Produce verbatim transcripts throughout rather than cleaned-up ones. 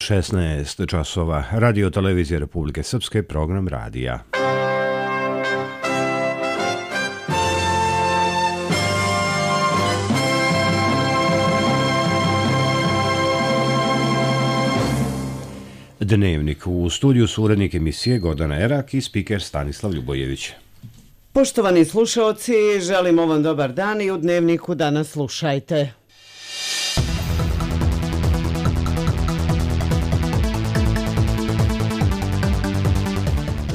šesnaest časova. Radio televizije Republike Srpske, program radija. Dnevnik. U studiju su urednik emisije Gordana Erak i spiker Stanislav Ljubojević. Poštovani slušaoci, želimo vam dobar dan i u Dnevniku danas slušajte.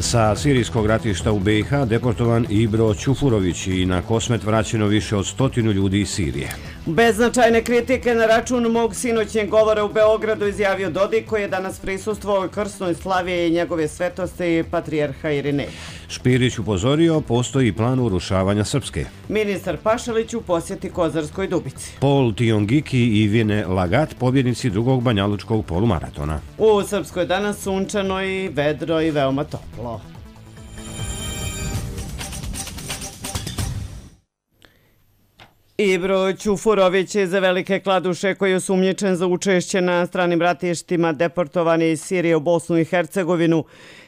Sa sirijskog ratišta u be i ha deportovan Ibro Ćufurović i na Kosmet vraćeno više od stotinu ljudi iz Sirije. Beznačajne kritike na račun mog sinoćnjeg govora u Beogradu izjavio Dodik, koji je danas prisustvovao krsnoj slavi i njegove svetosti patrijarha Irineja. Špirić upozorio, postoji plan urušavanja Srpske. Ministar Pašalić u posjeti Kozarskoj Dubici. Paul Tiongiki i Vine Lagat, pobjednici drugog banjalučkog polumaratona. U Srpskoj danas sunčano i vedro i veoma toplo. Ibro Ćufurović iz Velike Kladuše, koji je osumnjičen za učešće na stranim ratištima deportovani iz Sirije u Bosnu i Hercegovinu.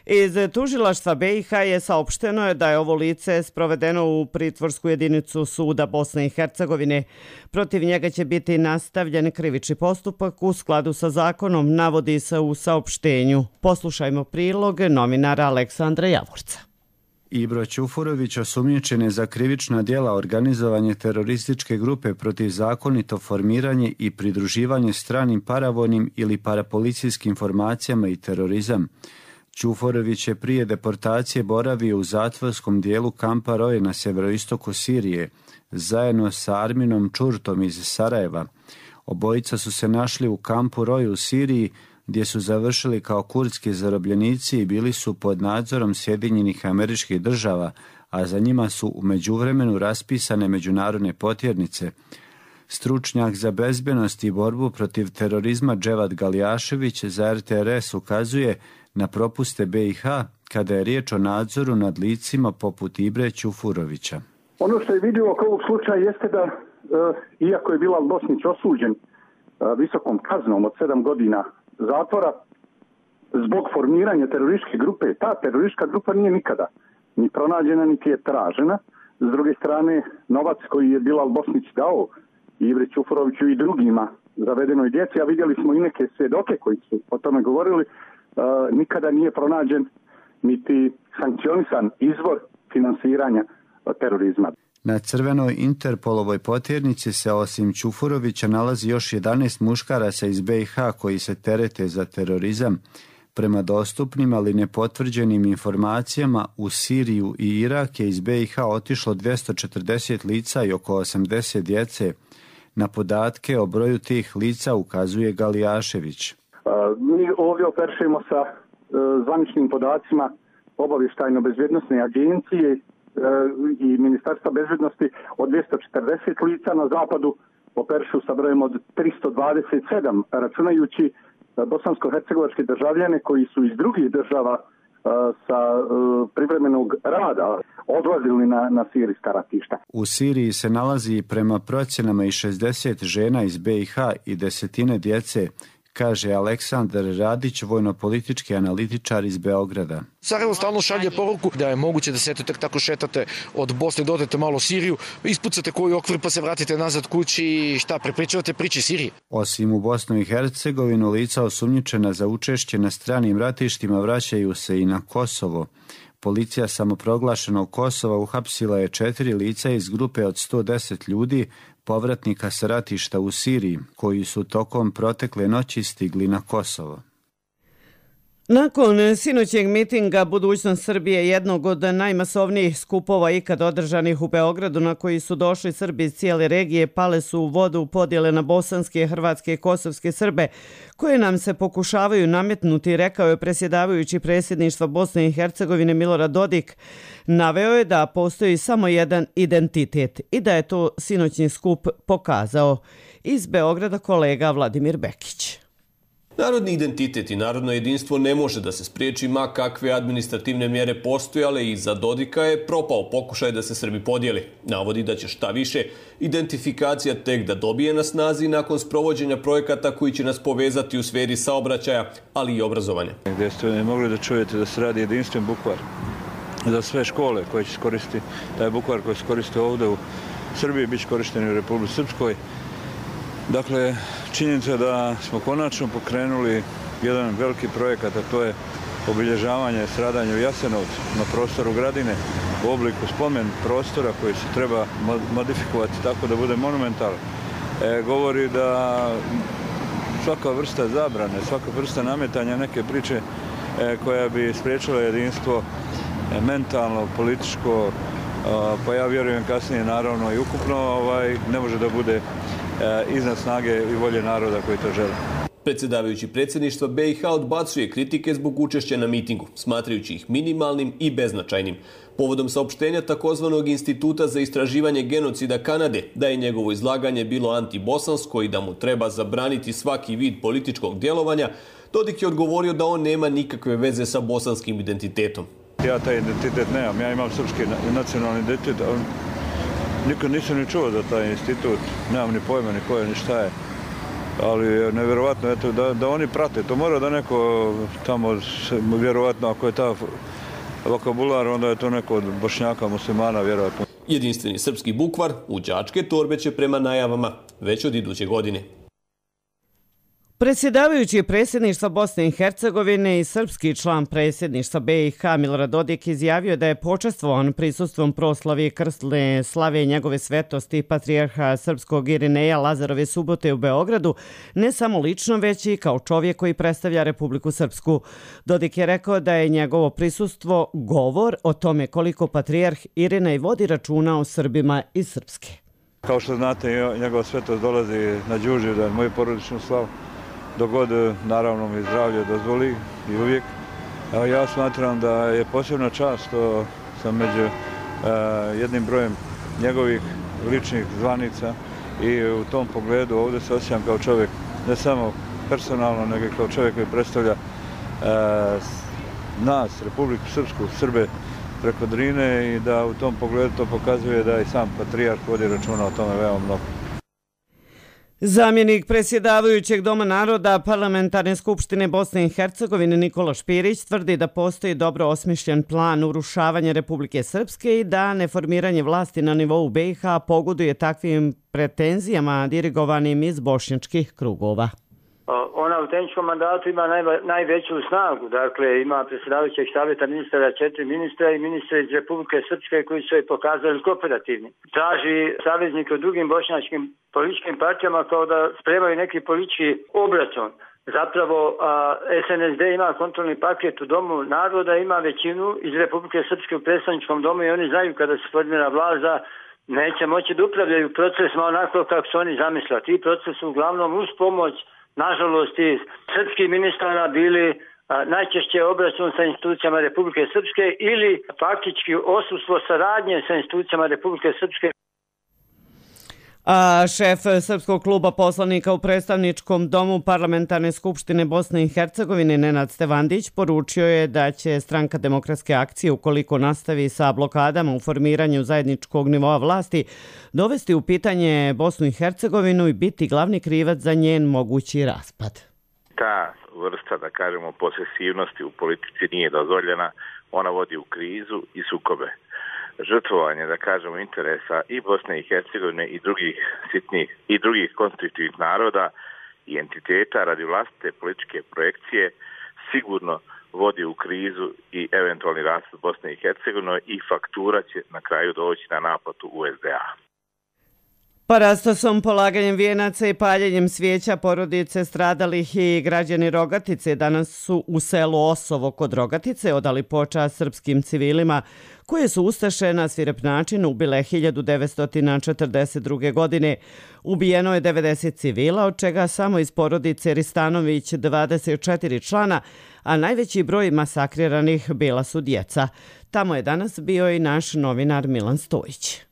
Iz tužilaštva be i ha je saopšteno da je ovo lice sprovedeno u pritvorsku jedinicu suda Bosne i Hercegovine. Protiv njega će biti nastavljen krivični postupak u skladu sa zakonom, navodi se u saopštenju. Poslušajmo prilog novinara Aleksandra Javorca. Ibro Ćufurović osumnjičen je za krivična djela organizovanje terorističke grupe protiv zakonito formiranje i pridruživanje stranim paravojnim ili parapolicijskim formacijama i terorizam. Ćufurović je prije deportacije boravio u zatvorskom dijelu kampa Roje na severoistoku Sirije, zajedno sa Arminom Čurtom iz Sarajeva. Obojica su se našli u kampu Roje u Siriji, gdje su završili kao kurdski zarobljenici i bili su pod nadzorom Sjedinjenih Američkih Država, a za njima su u međuvremenu raspisane međunarodne potjernice. Stručnjak za bezbednost i borbu protiv terorizma Dževad Galijašević za er te er es ukazuje na propuste be i ha kada je riječ o nadzoru nad licima poput Ibre Ćufurovića. Ono što je vidljivo oko ovog slučaja jeste da, e, iako je Bilal Bosnić osuđen e, visokom kaznom od sedam godina zatvora zbog formiranja terorističke grupe, ta teroristička grupa nije nikada ni pronađena, niti je tražena. S druge strane, novac koji je Bilal Bosnić dao Ibri Ćufuroviću i drugima zavedenoj djeci, a vidjeli smo i neke svjedoke koji su o tome govorili, uh, nikada nije pronađen niti sankcionisan izvor finansiranja terorizma. Na crvenoj Interpolovoj potjernici se osim Ćufurovića nalazi još jedanaest muškaraca iz be i ha koji se terete za terorizam. Prema dostupnim, ali nepotvrđenim informacijama, u Siriju i Irak je iz be i ha otišlo dvjesto četrdeset lica i oko osamdeset djece. Na podatke o broju tih lica ukazuje Galijašević. Mi ovdje operišemo sa zvaničnim podacima obavještajno-bezbjednosne agencije i Ministarstva bezbednosti od dvjesto četrdeset lica, na zapadu operišu sa brojem od tristo dvadeset sedam, računajući bosansko-hercegovačke državljane koji su iz drugih država sa privremenog rada odlazili na, na sirijska ratišta. U Siriji se nalazi prema procjenama i šezdeset žena iz be i ha i desetine djece, kaže Aleksandar Radić, vojno-politički analitičar iz Beograda. Sarajevo stalno šalje poruku da je moguće da se eto tek tako šetate od Bosne, dodete malo Siriju, ispucate koji okvir pa se vratite nazad kući i šta, prepričavate priče Sirije. Osim u Bosnu i Hercegovinu, lica osumnjičena za učešće na stranim ratištima vraćaju se i na Kosovo. Policija samoproglašenog Kosova uhapsila je četiri lica iz grupe od sto deset ljudi, povratnika sa ratišta u Siriji, koji su tokom protekle noći stigli na Kosovo. Nakon sinoćnjeg mitinga Budućnost Srbije, jednog od najmasovnijih skupova ikad održanih u Beogradu, na koji su došli Srbi iz cijele regije, pale su u vodu podjele na bosanske, hrvatske i kosovske Srbe, koje nam se pokušavaju nametnuti, rekao je predsjedavajući predsjedništva Bosne i Hercegovine Milorad Dodik. Naveo je da postoji samo jedan identitet i da je to sinoćni skup pokazao. Iz Beograda kolega Vladimir Bekić. Narodni identitet i narodno jedinstvo ne može da se spriječi ma kakve administrativne mjere postojale i za Dodika je propao pokušaj da se Srbi podijeli. Navodi da će šta više identifikacija tek da dobije na snazi nakon sprovođenja projekata koji će nas povezati u sferi saobraćaja, ali i obrazovanja. Gdje ste mogli da čujete da se radi jedinstven bukvar za sve škole koje će koristiti, taj bukvar koji se koristi ovdje u Srbiji, bit će korišten u Republici Srpskoj. Dakle, činjenica je da smo konačno pokrenuli jedan veliki projekat, a to je obilježavanje stradanja u Jasenovcu na prostoru Gradine u obliku spomen prostora koji se treba modifikovati tako da bude monumentalan. E, govori da svaka vrsta zabrane, svaka vrsta nametanja neke priče e, koja bi spriječila jedinstvo e, mentalno, političko, pa ja vjerujem kasnije naravno i ukupno ovaj, ne može da bude iznad snage i volje naroda koji to žele. Predsjedavajući predsjedništva B i H odbacuje kritike zbog učešća na mitingu, smatrajući ih minimalnim i beznačajnim. Povodom saopštenja takozvanog Instituta za istraživanje genocida Kanade da je njegovo izlaganje bilo antibosansko i da mu treba zabraniti svaki vid političkog djelovanja, Dodik je odgovorio da on nema nikakve veze sa bosanskim identitetom. Ja taj identitet nemam, ja imam srpski nacionalni identitet, ali nikad nisam ni čuo za taj institut, nemam ni pojma ni koje, ni šta je. Ali je nevjerovatno eto, da, da oni prate, to mora da neko tamo, vjerovatno ako je ta vokabular, onda je to neko od Bošnjaka, muslimana, vjerovatno. Jedinstveni srpski bukvar u đačke torbe će prema najavama već od iduće godine. Predsjedavajući predsjedništva Bosne i Hercegovine i srpski član predsjedništva B i H Milorad Dodik izjavio da je počastvovan prisustvom proslavi krstne slave njegove svetosti patrijarha srpskog Irineja Lazarove subote u Beogradu, ne samo lično, već i kao čovjek koji predstavlja Republiku Srpsku. Dodik je rekao da je njegovo prisustvo govor o tome koliko patrijarh Irinej vodi računa o Srbima i Srpske. Kao što znate, njegova svetost dolazi na Đurđevdan, moju porodičnu slavu. Dok god, naravno, mi zdravlje dozvoli i uvijek. Ja smatram da je posebna čast što sam među jednim brojem njegovih ličnih zvanica i u tom pogledu ovdje se osjećam kao čovjek, ne samo personalno, nego kao čovjek koji predstavlja nas, Republiku Srpsku, Srbe preko Drine i da u tom pogledu to pokazuje da i sam patrijarh vodi računa o tome veoma mnogo. Zamjenik predsjedavajućeg Doma naroda Parlamentarne skupštine Bosne i Hercegovine Nikola Špirić tvrdi da postoji dobro osmišljen plan urušavanja Republike Srpske i da neformiranje vlasti na nivou B i H pogoduje takvim pretenzijama dirigovanim iz bošnjačkih krugova. Ona u tehničkom mandatu ima najveću snagu, dakle ima predsjedavajućeg savjeta ministara, četiri ministra i ministra iz Republike Srpske koji su je pokazali kooperativni. Traži saveznike u drugim bošnjačkim političkim partijama kao da spremaju neki politički obračun. Zapravo S N S D ima kontrolni paket u Domu naroda, ima većinu iz Republike Srpske u predstavničkom domu i oni znaju kada se formira vlast da neće moći da upravljaju procesima onako kako su oni zamislili. Ti procesi uglavnom uz pomoć, nažalost, iz srpskih ministara bili a, najčešće obračun sa institucijama Republike Srpske ili faktički odsustvo saradnje sa institucijama Republike Srpske. A šef Srpskog kluba poslanika u predstavničkom domu Parlamentarne skupštine Bosne i Hercegovine Nenad Stevandić poručio je da će Stranka demokratske akcije, ukoliko nastavi sa blokadama u formiranju zajedničkog nivoa vlasti, dovesti u pitanje Bosnu i Hercegovinu i biti glavni krivac za njen mogući raspad. Ta vrsta, da kažemo, posesivnosti u politici nije dozvoljena, ona vodi u krizu i sukobe. Žrtvovanje, da kažemo, interesa i Bosne i Hercegovine i drugih sitnih i drugih konstitutivnih naroda i entiteta radi vlastite političke projekcije sigurno vodi u krizu i eventualni raspad Bosne i Hercegovine i faktura će na kraju doći na naplatu U S D A. Parastosom, polaganjem vijenaca i paljenjem svijeća porodice stradalih i građani Rogatice danas su u selu Osovo kod Rogatice odali počast srpskim civilima koje su ustaše na svirep način ubile hiljadu devetsto četrdeset druge. godine. Ubijeno je devedeset civila, od čega samo iz porodice Ristanović dvadeset četiri člana, a najveći broj masakriranih bila su djeca. Tamo je danas bio i naš novinar Milan Stojić.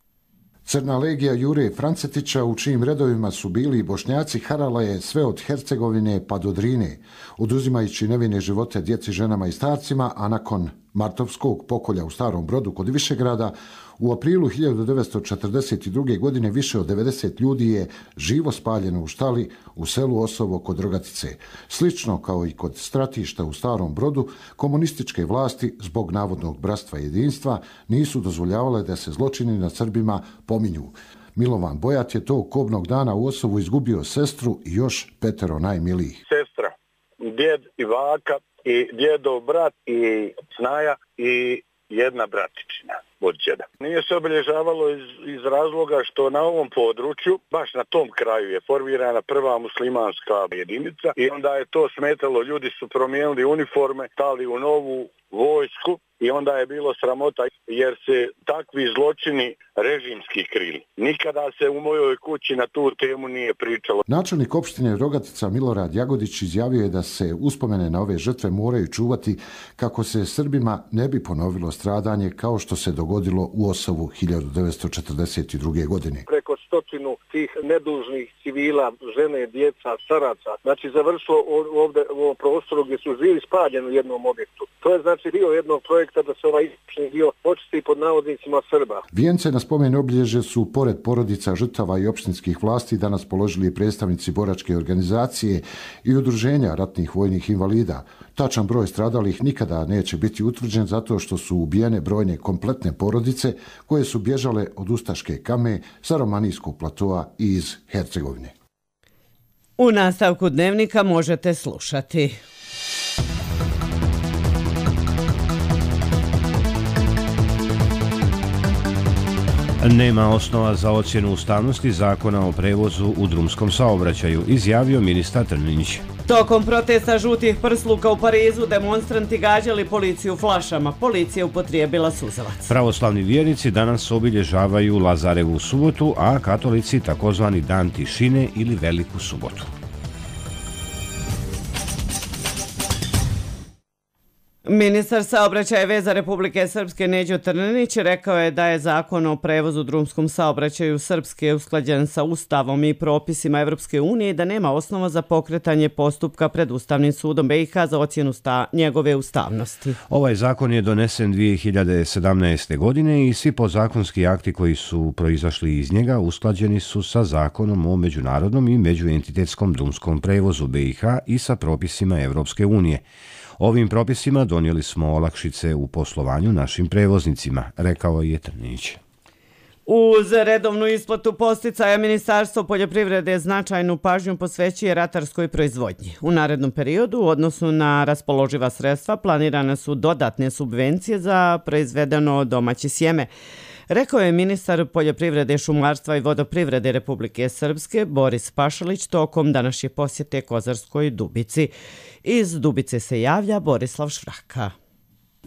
Crna legija Jure Francetića, u čijim redovima su bili i Bošnjaci, harala je sve od Hercegovine pa do Drine, oduzimajući nevine živote djeci, ženama i starcima, a nakon martovskog pokolja u Starom Brodu kod Višegrada, u aprilu hiljadu devetsto četrdeset druge. godine više od devedeset ljudi je živo spaljeno u štali u selu Osovo kod Rogatice. Slično kao i kod stratišta u Starom Brodu, komunističke vlasti zbog navodnog bratstva i jedinstva nisu dozvoljavale da se zločini nad Srbima pominju. Milovan Bojat je tog kobnog dana u Osovu izgubio sestru i još petero najmilijih. Sestra, djed i baka i djedov brat i snaja i jedna bratičina od djeda. Nije se obilježavalo iz, iz razloga što na ovom području, baš na tom kraju je formirana prva muslimanska jedinica i onda je to smetalo, ljudi su promijenili uniforme, stali u novu vojsku i onda je bilo sramota jer se takvi zločini režimski krili. Nikada se u mojoj kući na tu temu nije pričalo. Načelnik opštine Rogatica Milorad Jagodić izjavio je da se uspomene na ove žrtve moraju čuvati kako se Srbima ne bi ponovilo stradanje kao što se dogodilo u Osovu hiljadu devetsto četrdeset druge. godine. Preko stotinu tih nedužnih civila, žene, djeca, staraca, znači završilo ovdje u ovom prostoru gdje su živi spaljeni u jednom objektu. To je znači dio jednog projekta da se ovaj istočni dio očisti pod navodnicima Srba. Vijence na spomen obilježje su, pored porodica žrtava i opštinskih vlasti, danas položili predstavnici boračke organizacije i udruženja ratnih vojnih invalida. Tačan broj stradalih nikada neće biti utvrđen zato što su ubijene brojne kompletne porodice koje su bježale od ustaške Kame sa Romanijskog platoa i iz Hercegovine. U nastavku dnevnika možete slušati. Nema osnova za ocjenu ustavnosti zakona o prevozu u drumskom saobraćaju, izjavio ministar Trninić. Tokom protesta žutih prsluka u Parizu demonstranti gađali policiju flašama. Policija upotrijebila suzavac. Pravoslavni vjernici danas obilježavaju Lazarevu subotu, a katolici takozvani dan tišine ili Veliku subotu. Ministar saobraćaja i veza Republike Srpske Neđo Trninić rekao je da je zakon o prevozu u drumskom saobraćaju Srpske usklađen sa Ustavom i propisima Evropske unije i da nema osnova za pokretanje postupka pred Ustavnim sudom B i H za ocjenu sta njegove ustavnosti. Ovaj zakon je donesen dvije hiljade sedamnaeste. godine i svi podzakonski akti koji su proizašli iz njega usklađeni su sa zakonom o međunarodnom i međuentitetskom drumskom prevozu B i H i sa propisima Evropske unije. Ovim propisima donijeli smo olakšice u poslovanju našim prevoznicima, rekao je Trninić. Uz redovnu isplatu posticaja Ministarstvo poljoprivrede značajnu pažnju posvećuje ratarskoj proizvodnji. U narednom periodu u odnosu na raspoloživa sredstva planirane su dodatne subvencije za proizvedeno domaće sjeme. Rekao je ministar poljoprivrede, šumarstva i vodoprivrede Republike Srpske Boris Pašalić tokom današnje posjete Kozarskoj Dubici. Iz Dubice se javlja Borislav Švraka.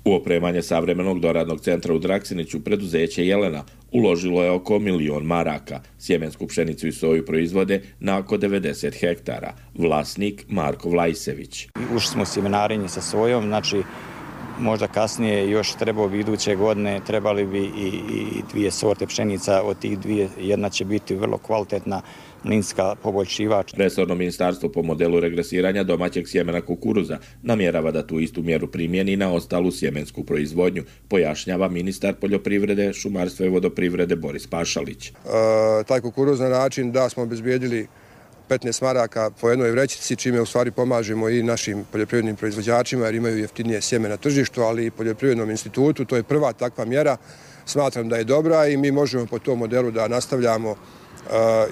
U opremanje savremenog doradnog centra u Draksiniću preduzeće Jelena uložilo je oko milion maraka. Sjemensku pšenicu i soju proizvode na oko devedeset hektara. Vlasnik Marko Vlajsević. Ušli smo u sjemenarenje sa sojom, znači možda kasnije još trebao bi iduće godine, trebali bi i, i dvije sorte pšenica, od tih dvije jedna će biti vrlo kvalitetna mlinska poboljšivač. Resorno ministarstvo po modelu regresiranja domaćeg sjemena kukuruza namjerava da tu istu mjeru primjeni na ostalu sjemensku proizvodnju, pojašnjava ministar poljoprivrede, šumarstva i vodoprivrede Boris Pašalić. E, taj kukuruz na način da smo obezbijedili petnaest maraka po jednoj vrećici, čime u stvari pomažemo i našim poljoprivrednim proizvođačima jer imaju jeftinije sjeme na tržištu, ali i poljoprivrednom institutu. To je prva takva mjera. Smatram da je dobra i mi možemo po tom modelu da nastavljamo uh,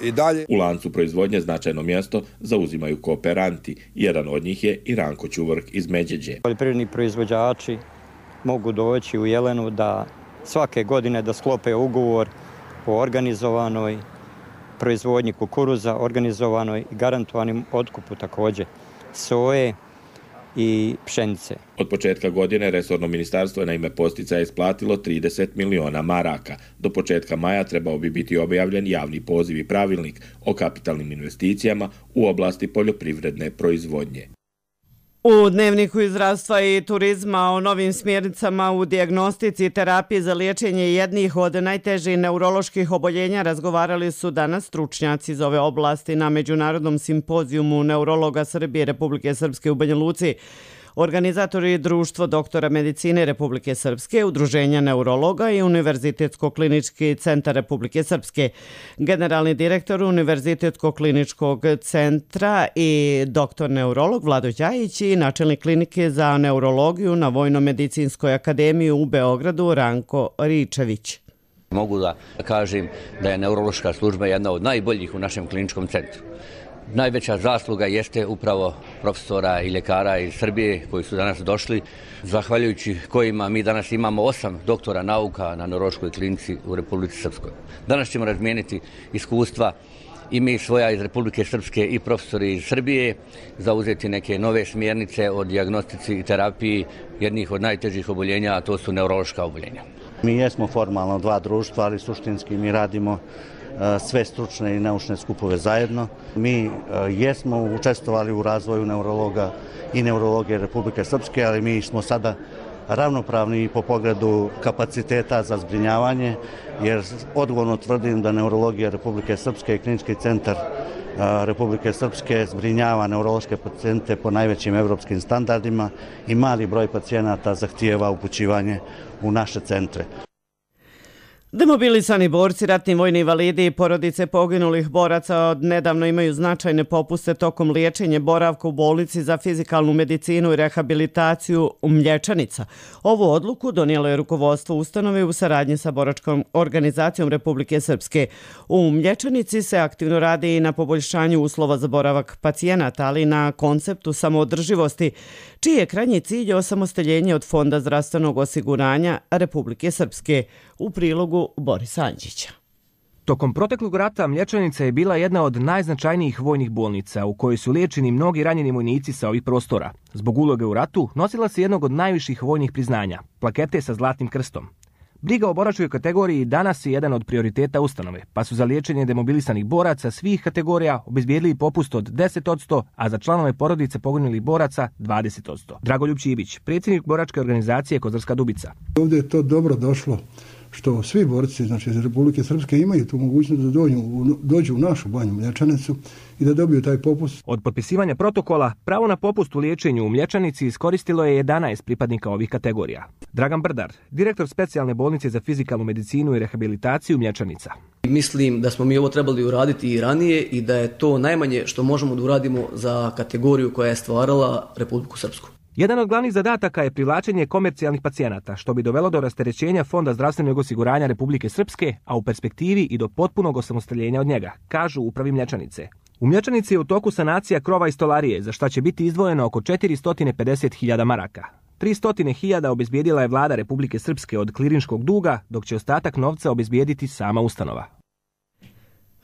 i dalje. U lancu proizvodnje značajno mjesto zauzimaju kooperanti. Jedan od njih je i Ranko Ćuvrk iz Međeđe. Poljoprivredni proizvođači mogu doći u Jelenu da svake godine da sklope ugovor o organizovanoj proizvodnji kukuruza, organizovanoj i garantovanim otkupu također soje i pšenice. Od početka godine resorno ministarstvo je na ime posticaja isplatilo trideset miliona maraka. Do početka maja trebao bi biti objavljen javni poziv i pravilnik o kapitalnim investicijama u oblasti poljoprivredne proizvodnje. U Dnevniku iz zdravstva i turizma o novim smjernicama u dijagnostici i terapiji za liječenje jednih od najtežih neuroloških oboljenja razgovarali su danas stručnjaci iz ove oblasti na Međunarodnom simpozijumu neurologa Srbije i Republike Srpske u Banja Luci. Organizatori Društvo doktora medicine Republike Srpske, Udruženja neurologa i Univerzitetsko-klinički centar Republike Srpske. Generalni direktor Univerzitetsko-kliničkog centra i doktor neurolog Vlado Đajić i načelnik klinike za neurologiju na Vojno-medicinskoj akademiji u Beogradu Ranko Ričević. Mogu da kažem da je neurološka služba jedna od najboljih u našem kliničkom centru. Najveća zasluga jeste upravo profesora i ljekara iz Srbije koji su danas došli, zahvaljujući kojima mi danas imamo osam doktora nauka na neurološkoj klinici u Republici Srpskoj. Danas ćemo razmijeniti iskustva i mi svoja iz Republike Srpske i profesori iz Srbije, zauzeti neke nove smjernice o dijagnostici i terapiji jednih od najtežih oboljenja, a to su neurološka oboljenja. Mi jesmo formalno dva društva, ali suštinski mi radimo sve stručne i naučne skupove zajedno. Mi jesmo učestvovali u razvoju neurologa i neurologije Republike Srpske, ali mi smo sada ravnopravni i po pogledu kapaciteta za zbrinjavanje, jer odgovorno tvrdim da neurologija Republike Srpske i klinički centar Republike Srpske zbrinjava neurološke pacijente po najvećim evropskim standardima i mali broj pacijenata zahtijeva upućivanje u naše centre. Demobilisani borci, ratni vojni invalidi i porodice poginulih boraca od nedavno imaju značajne popuste tokom liječenja boravka u bolnici za fizikalnu medicinu i rehabilitaciju u Mlječanica. Ovu odluku donijelo je rukovodstvo ustanove u saradnji sa boračkom organizacijom Republike Srpske. U Mlječanici se aktivno radi i na poboljšanju uslova za boravak pacijenata, ali i na konceptu samoodrživosti, čiji je krajnji cilj osamostaljenje od Fonda zdravstvenog osiguranja Republike Srpske. U prilogu Borisa Anđića. Tokom proteklog rata Mlječanica je bila jedna od najznačajnijih vojnih bolnica u kojoj su liječeni mnogi ranjeni vojnici sa ovih prostora. Zbog uloge u ratu nosila se jednog od najviših vojnih priznanja, plakete sa zlatnim krstom. Briga o boračkoj kategoriji danas je jedan od prioriteta ustanove, pa su za liječenje demobilisanih boraca svih kategorija obezbijedili popust od deset posto, a za članove porodice poginulih boraca dvadeset posto. Dragoljub Čibić, predsjednik boračke organizacije Kozarska Dubica. Ovdje je to dobro došlo što svi borci, znači iz Republike Srpske, imaju tu mogućnost da dođu, dođu u našu banju Mlječanicu i da dobiju taj popust. Od potpisivanja protokola, pravo na popust u liječenju u Mlječanici iskoristilo je jedanaest pripadnika ovih kategorija. Dragan Brdar, direktor specijalne bolnice za fizikalnu medicinu i rehabilitaciju Mlječanica. Mislim da smo mi ovo trebali uraditi i ranije i da je to najmanje što možemo da uradimo za kategoriju koja je stvarala Republiku Srpsku. Jedan od glavnih zadataka je privlačenje komercijalnih pacijenata, što bi dovelo do rasterećenja Fonda zdravstvenog osiguranja Republike Srpske, a u perspektivi i do potpunog osamostaljenja od njega, kažu u upravi Mlječanice. U Mlječanici je u toku sanacija krova i stolarije, za šta će biti izdvojeno oko četiristo pedeset hiljada maraka. tristo hiljada obezbijedila je vlada Republike Srpske od klirinškog duga, dok će ostatak novca obezbijediti sama ustanova.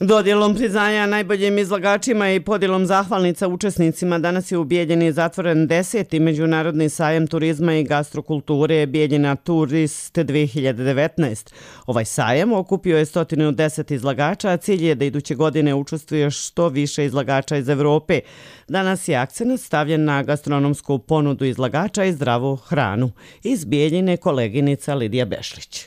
Dodjelom priznanja najboljim izlagačima i podjelom zahvalnica učesnicima danas je u Bijeljini zatvoren deseti međunarodni sajem turizma i gastrokulture Bijeljina Turist dvije hiljade devetnaest. Ovaj sajem okupio je sto deset izlagača, a cilj je da iduće godine učestvuje što više izlagača iz Evrope. Danas je akcenat stavljen na gastronomsku ponudu izlagača i zdravu hranu. Iz Bijeljine koleginica Lidija Bešlić.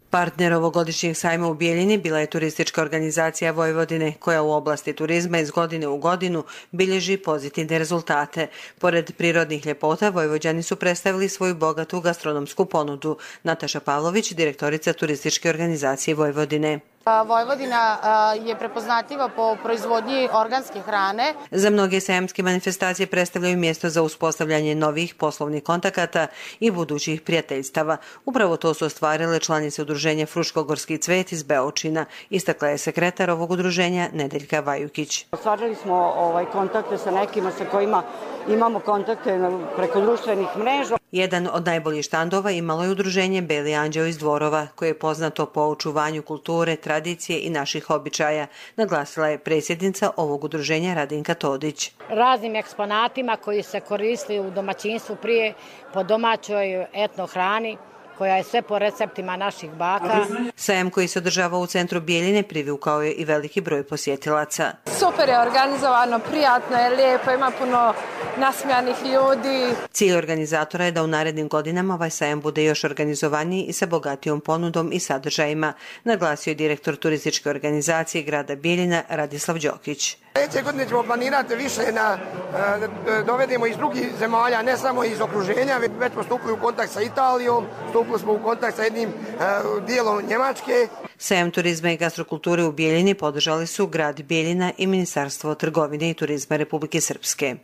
Partner ovogodišnjeg sajma u Bijeljini bila je turistička organizacija Vojvodine, koja u oblasti turizma iz godine u godinu bilježi pozitivne rezultate. Pored prirodnih ljepota, Vojvođani su predstavili svoju bogatu gastronomsku ponudu. Nataša Pavlović, direktorica turističke organizacije Vojvodine. Vojvodina je prepoznatljiva po proizvodnji organske hrane. Za mnoge sajamske manifestacije predstavljaju mjesto za uspostavljanje novih poslovnih kontakata i budućih prijateljstava. Upravo to su ostvarile članice udruženja Fruškogorski cvet iz Beočina, istakla je sekretar ovog udruženja Nedeljka Vajukić. Ostvarili smo ovaj, kontakte sa nekima sa kojima imamo kontakte preko društvenih mreža. Jedan od najboljih štandova imalo je udruženje Beli anđeo iz Dvorova, koje je poznato po očuvanju kulture, tradicije i naših običaja, naglasila je predsjednica ovog udruženja Radinka Todić. Raznim eksponatima koji se koristili u domaćinstvu prije po domaćoj etno hrani, koja je sve po receptima naših baka. Sajam koji se održava u centru Bijeljine privukao je i veliki broj posjetilaca. Super je organizovano, prijatno je, lijepo, ima puno nasmijanih ljudi. Cilj organizatora je da u narednim godinama ovaj sajam bude još organizovaniji i sa bogatijom ponudom i sadržajima, naglasio je direktor turističke organizacije grada Bijeljina Radislav Đokić. Sljedeće godine ćemo planirati više na dovedemo iz drugih zemalja, ne samo iz okruženja, već smo stupili u kontakt sa Italijom, stupili smo u kontakt sa jednim dijelom Njemačke. Sajam turizma i gastrokulture u Bijeljini podržali su grad Bijeljina i Ministarstvo trgovine i turizma Republike Srpske.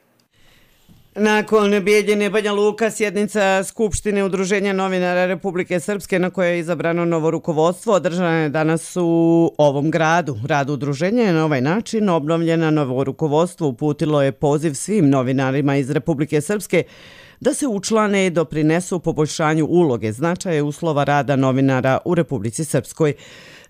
Nakon Bijeljine Banja Luka, sjednica Skupštine Udruženja novinara Republike Srpske na kojoj je izabrano novo rukovodstvo održana je danas u ovom gradu. Rad udruženja je na ovaj način obnovljena. Novo rukovodstvo uputilo je poziv svim novinarima iz Republike Srpske da se učlane i doprinesu poboljšanju uloge, značaja uslova rada novinara u Republici Srpskoj.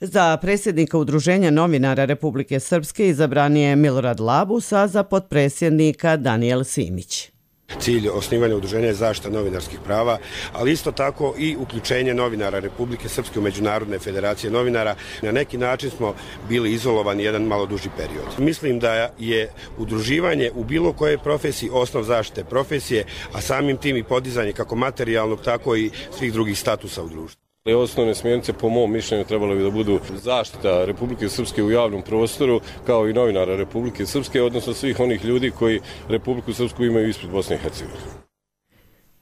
Za predsjednika Udruženja novinara Republike Srpske izabran je Milorad Labus, a za potpredsjednika Danijel Simić. Cilj osnivanja udruženja je zaštita novinarskih prava, ali isto tako i uključenje novinara Republike Srpske u Međunarodne federacije novinara. Na neki način smo bili izolovani jedan malo duži period. Mislim da je udruživanje u bilo kojoj profesiji osnov zaštite profesije, a samim tim i podizanje kako materijalnog, tako i svih drugih statusa u društvu. Osnovne smjernice po mom mišljenju trebalo bi da budu zaštita Republike Srpske u javnom prostoru, kao i novinara Republike Srpske, odnosno svih onih ljudi koji Republiku Srpsku imaju ispred Bosne i Hercegovine.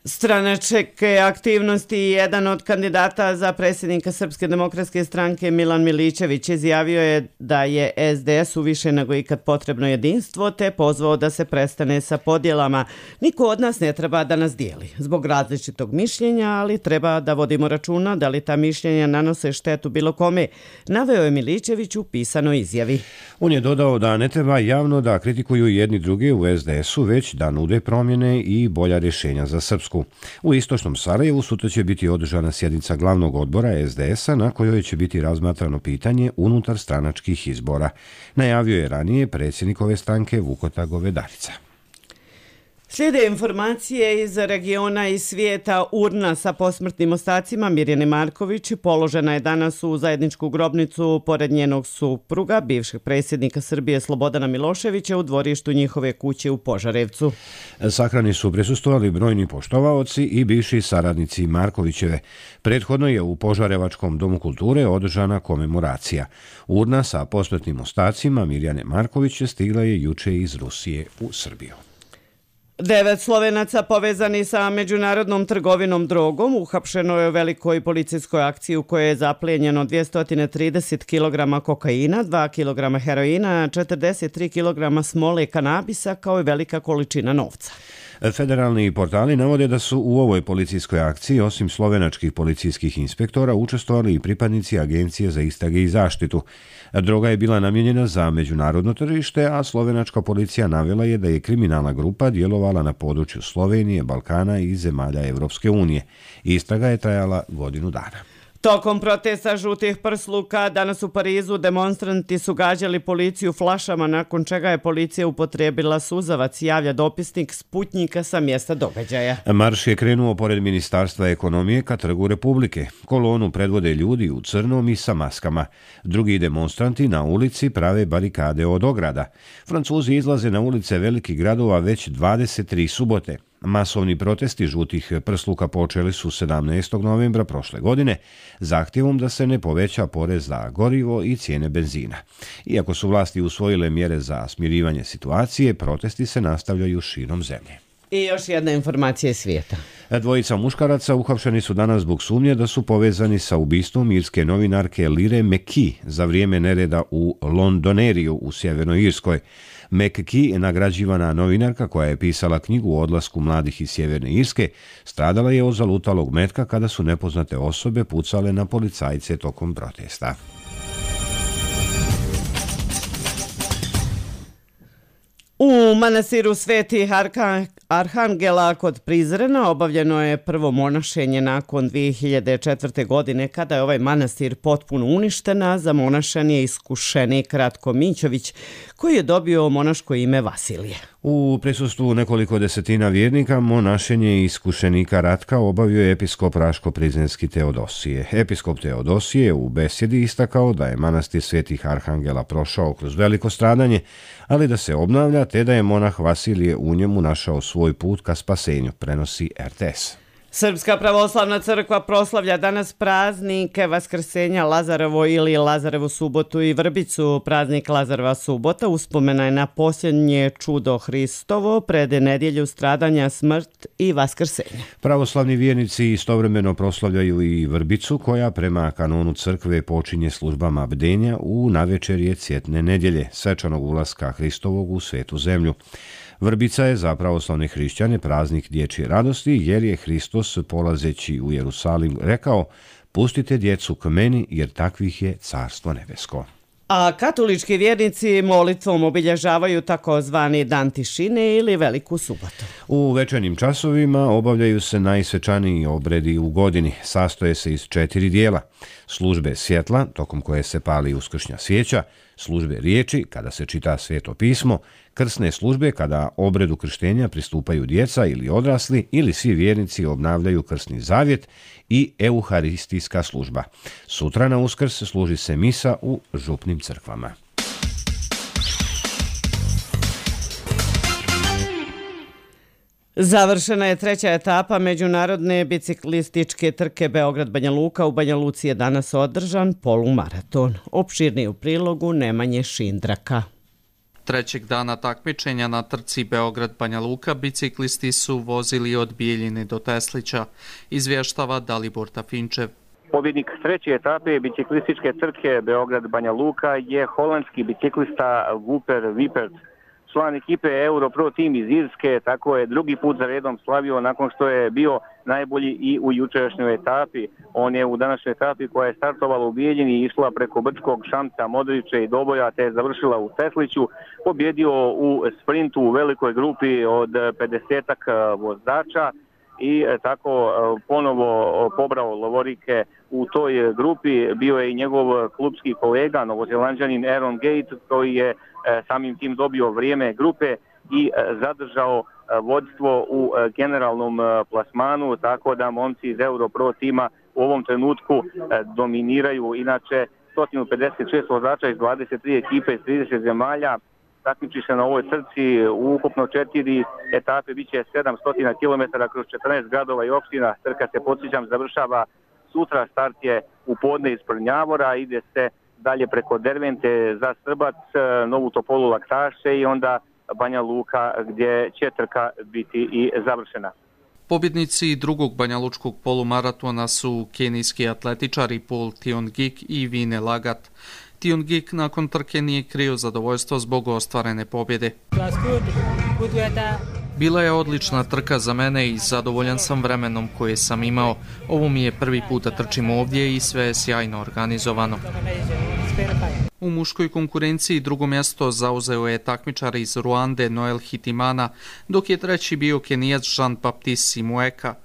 Stranačke aktivnosti. Jedan od kandidata za predsjednika Srpske demokratske stranke, Milan Milićević, izjavio je da je S D S u više nego ikad potrebno jedinstvo, te pozvao da se prestane sa podjelama. Niko od nas ne treba da nas dijeli zbog različitog mišljenja, ali treba da vodimo računa da li ta mišljenja nanose štetu bilo kome, naveo je Milićević u pisanoj izjavi. On je dodao da ne treba javno da kritikuju jedni druge u S D S-u, već da nude promjene i bolja rješenja za Srpsku. U istočnom Sarajevu sutra će biti održana sjednica glavnog odbora S D S-a na kojoj će biti razmatrano pitanje unutar stranačkih izbora. Najavio je ranije predsjednik ove stranke Vukota Govedarica. Slijede informacije iz regiona i svijeta. Urna sa posmrtnim ostacima Mirjane Marković položena je danas u zajedničku grobnicu pored njenog supruga, bivšeg predsjednika Srbije Slobodana Miloševića, u dvorištu njihove kuće u Požarevcu. Sahrani su prisustvovali brojni poštovaoci i bivši saradnici Markovićeve. Prethodno je u Požarevačkom domu kulture održana komemoracija. Urna sa posmrtnim ostacima Mirjane Marković stigla je juče iz Rusije u Srbiju. Devet Slovenaca povezani sa međunarodnom trgovinom drogom uhapšeno je u velikoj policijskoj akciji u kojoj je zaplijenjeno dvjesto trideset kilograma kokaina, dva kilograma heroina, četrdeset tri kilograma smole kanabisa kao i velika količina novca. Federalni portali navode da su u ovoj policijskoj akciji osim slovenačkih policijskih inspektora učestvovali i pripadnici Agencije za istrage i zaštitu. Droga je bila namijenjena za međunarodno tržište, a slovenačka policija navela je da je kriminalna grupa djelovala na području Slovenije, Balkana i zemalja Evropske unije. Istraga je trajala godinu dana. Tokom protesta žutih prsluka danas u Parizu demonstranti su gađali policiju flašama, nakon čega je policija upotrijebila suzavac, javlja dopisnik Sputnjika sa mjesta događaja. Marš je krenuo pored Ministarstva ekonomije ka Trgu Republike. Kolonu predvode ljudi u crnom i sa maskama. Drugi demonstranti na ulici prave barikade od ograda. Francuzi izlaze na ulice velikih gradova već dvadeset tri subote. Masovni protesti žutih prsluka počeli su sedamnaestog novembra prošle godine zahtjevom da se ne poveća porez za gorivo i cijene benzina. Iako su vlasti usvojile mjere za smirivanje situacije, protesti se nastavljaju širom zemlje. I još jedna informacija iz svijeta. Dvojica muškaraca uhapšeni su danas zbog sumnje da su povezani sa ubistvom irske novinarke Lire McKee za vrijeme nereda u Londoneriju u Sjevernoj Irskoj. McKee je nagrađivana novinarka koja je pisala knjigu o odlasku mladih iz Sjeverne Irske, stradala je od zalutalog metka kada su nepoznate osobe pucale na policajce tokom protesta. U manastiru Sveti Arhangela kod Prizrena obavljeno je prvo monašenje nakon dvije hiljade četvrte. godine kada je ovaj manastir potpuno uništen, a za monašan je iskušenik Ratko Mićović koji je dobio monaško ime Vasilije. U prisustvu nekoliko desetina vjernika monašenje iskušenika Ratka obavio je episkop Raško-Prizrenski Teodosije. Episkop Teodosije u besjedi istakao da je manastir Svetih Arhangela prošao kroz veliko stradanje, ali da se obnavlja te da je monah Vasilije u njemu našao svoj put ka spasenju, prenosi R T S. Srpska pravoslavna crkva proslavlja danas praznike Vaskrsenja Lazarevo ili Lazarevu subotu i Vrbicu. Praznik Lazareva subota uspomena je na posljednje čudo Hristovo pred nedjelju stradanja, smrt i vaskrsenja. Pravoslavni vjernici istovremeno proslavljaju i Vrbicu koja prema kanonu crkve počinje službama bdenja u navečerje Cjetne nedjelje, svečanog ulaska Hristovog u svetu zemlju. Vrbica je za pravoslavne hrišćane praznik dječje radosti jer je Hristos polazeći u Jerusalim rekao: "Pustite djecu k meni jer takvih je carstvo nebesko." A katolički vjernici molitvom obilježavaju takozvani dan tišine ili Veliku subotu. U večernjim časovima obavljaju se najsvečaniji obredi u godini. Sastoje se iz četiri dijela: službe svjetla, tokom koje se pali uskršnja svijeća, službe riječi, kada se čita Sveto pismo, krsne službe, kada obredu krštenja pristupaju djeca ili odrasli ili svi vjernici obnavljaju krsni zavjet, i euharistijska služba. Sutra na Uskrs služi se misa u župnim crkvama. Završena je treća etapa međunarodne biciklističke trke Beograd-Banja Luka. U Banja Luci je danas održan polumaraton. Opširniji u prilogu Nemanje Šindraka. Trećeg dana takmičenja na trci Beograd-Banja Luka biciklisti su vozili od Bijeljine do Teslića, izvještava Dalibor Tafinčev. Pobjednik treće etape biciklističke trke Beograd-Banja Luka je holandski biciklista Wouter Wiepert. Član ekipe Europro Team iz Irske, tako je drugi put za redom slavio nakon što je bio najbolji i u jučerašnjoj etapi. On je u današnjoj etapi koja je startovala u Bijeljini i išla preko Brčkog, Šamca, Modrića i Doboja te je završila u Tesliću, pobjedio u sprintu u velikoj grupi od pedesetak vozača i tako ponovo pobrao lovorike u toj grupi. Bio je i njegov klubski kolega, novozelanđanin Aaron Gate, koji je samim tim dobio vrijeme grupe i zadržao vodstvo u generalnom plasmanu, tako da momci iz Europro tima u ovom trenutku dominiraju. Inače, sto pedeset šest vozača iz dvadeset tri ekipe iz trideset zemalja takmiči se na ovoj trci. U ukupno četiri etape biće sedamsto kilometara kroz četrnaest gradova i opština. Trka se, podsjećam, završava sutra. Start je u podne iz Prnjavora, ide se dalje preko Dervente za Srbac, Novu Topolu, Laktaše i onda Banja Luka gdje će trka biti i završena. Pobjednici drugog banjalučkog polumaratona su kenijski atletičari Paul Tiongik i Vine Lagat. Tiongik nakon trke nije krio zadovoljstvo zbog ostvarene pobjede. Bila je odlična trka za mene i zadovoljan sam vremenom koje sam imao. Ovo mi je prvi put da trčim ovdje i sve je sjajno organizovano. U muškoj konkurenciji drugo mjesto zauzeo je takmičar iz Ruande Noel Hitimana, dok je treći bio Kenijac Jean-Baptiste Simueka.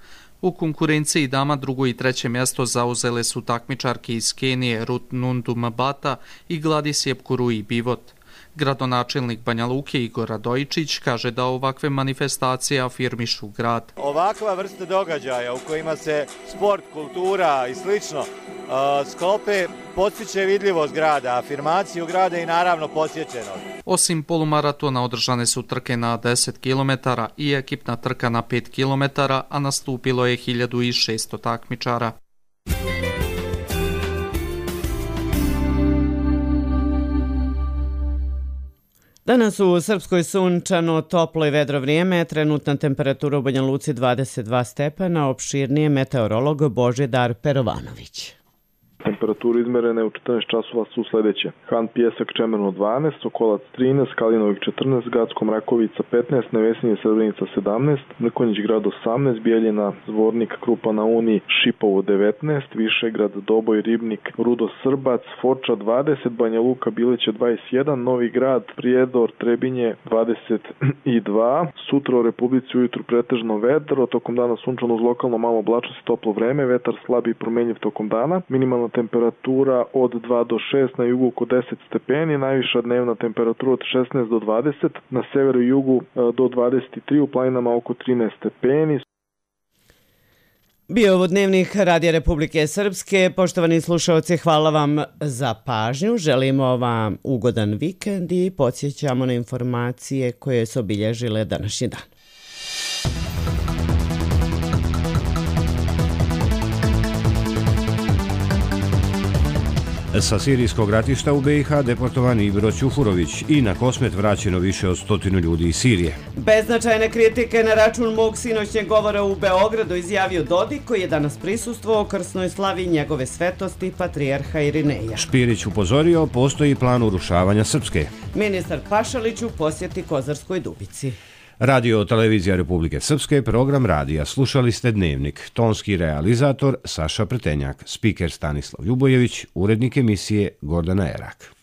U konkurenciji dama drugo i treće mjesto zauzele su takmičarke iz Kenije Ruth Nundu Mabata i Gladys Jepkurui Bivot. Gradonačelnik Banja Luke Igor Radojičić kaže da ovakve manifestacije afirmišu grad. Ovakva vrsta događaja u kojima se sport, kultura i slično sklope postiče vidljivost grada, afirmaciju grada i naravno posjećenost. Osim polumaratona održane su trke na deset kilometara i ekipna trka na pet kilometara, a nastupilo je hiljadu šesto takmičara. Danas u Srpskoj sunčano, toplo i vedro vrijeme, trenutna temperatura u Banja Luci dvadeset dva stepena, opširnije meteorolog Božidar Perovanović. temperature izmerene u četrnaest časova su sledeće. Han Pijesak Čemerno dvanaest, Sokolac trinaest, Kalinovik četrnaest, Gacko Mrakovica petnaest, Nevesinje Srebrenica sedamnaest, Mrkonjić grad osamnaest, Bijeljina, Zvornik, Krupa na Uni, Šipovo devetnaest, Višegrad, Doboj, Ribnik, Rudo Srbac, Foča dvadeset, Banja Luka, Bileće dvadeset jedan, Novi Grad, Prijedor, Trebinje dvadeset dva. Sutra u Republici ujutru pretežno vedro, tokom dana sunčano uz lokalno malo oblačnost i toplo vreme, vetar slabi i promenjiv tokom dana, minimalna temperatura od dva do šest, na jugu oko deset stepeni, najviša dnevna temperatura od šesnaest do dvadeset, na severu i jugu do dvadeset tri, u planinama oko trinaest stepeni. Bio ovo dnevnik Radija Republike Srpske. Poštovani slušalci, hvala vam za pažnju. Želimo vam ugodan vikend i podsjećamo na informacije koje su obilježile današnji dan. Sa sirijskog ratišta u be i ha deportovan Ibro Ćufurović i na Kosmet vraćeno više od stotinu ljudi iz Sirije. Beznačajne kritike na račun mog sinoćnjeg govora u Beogradu izjavio Dodik, koji je danas prisustvovao krsnoj slavi njegove svetosti patrijarha Irineja. Špirić upozorio, postoji plan urušavanja Srpske. Ministar Pašalić u posjeti Kozarskoj Dubici. Radio Televizija Republike Srpske, program radija. Slušali ste Dnevnik. Tonski realizator Saša Pretenjak, spiker Stanislav Ljubojević, urednik emisije Gordana Erak.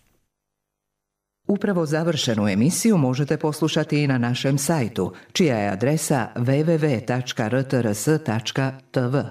Upravo završenu emisiju možete poslušati i na našem sajtu, čija je adresa w w w tačka r t r s tačka t v.